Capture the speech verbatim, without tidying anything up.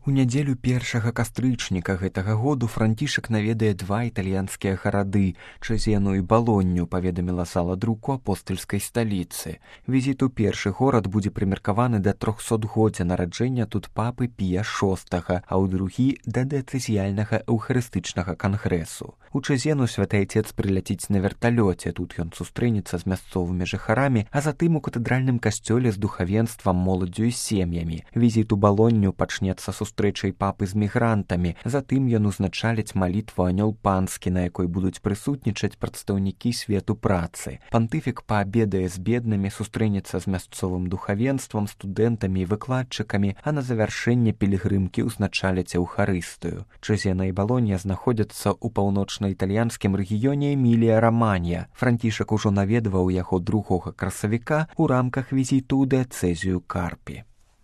У нядзелю першага кастрычніка гэтага году Францішак наведае два італьянскія гарады – Чэзену і Балонню, паведаміла зала друку апостальскай сталіцы. Візіт у першы горад будзе прымеркаваны да трохсотгоддзя нараджэння тут папы Пія шостага, а ў другі – да дэцэзіяльнага эўхарыстычнага кангрэсу. У Чэзену святы айцец прыляціць на верталёце, тут ён сустрэнецца з мясцовымі жыхарамі, а затым у катэдральным касцёле з духавенствам, моладдзю і сем'ямі. Візіт у Балонню пачнецца сустрэчай папы з мігрантамі, затым ён узначаліць малітву анёл панскі, на якой будуць прысутнічаць прадстаўнікі свету працы. Пантыфік паабедае з беднымі, сустрэнецца з мясцовым духавенствам, студэнтамі і выкладчыкамі, а на завяршэнне пілігрымкі ўзначаліць эўхарыстыю. Чэзена і Балоння знаходзяцца ў паўночна-італьянскім рэгіёне Эмілія-Раманья. Францішак ужо наведваў яго другога красавіка ў рамках візіту ў дыяцэзію Карпі.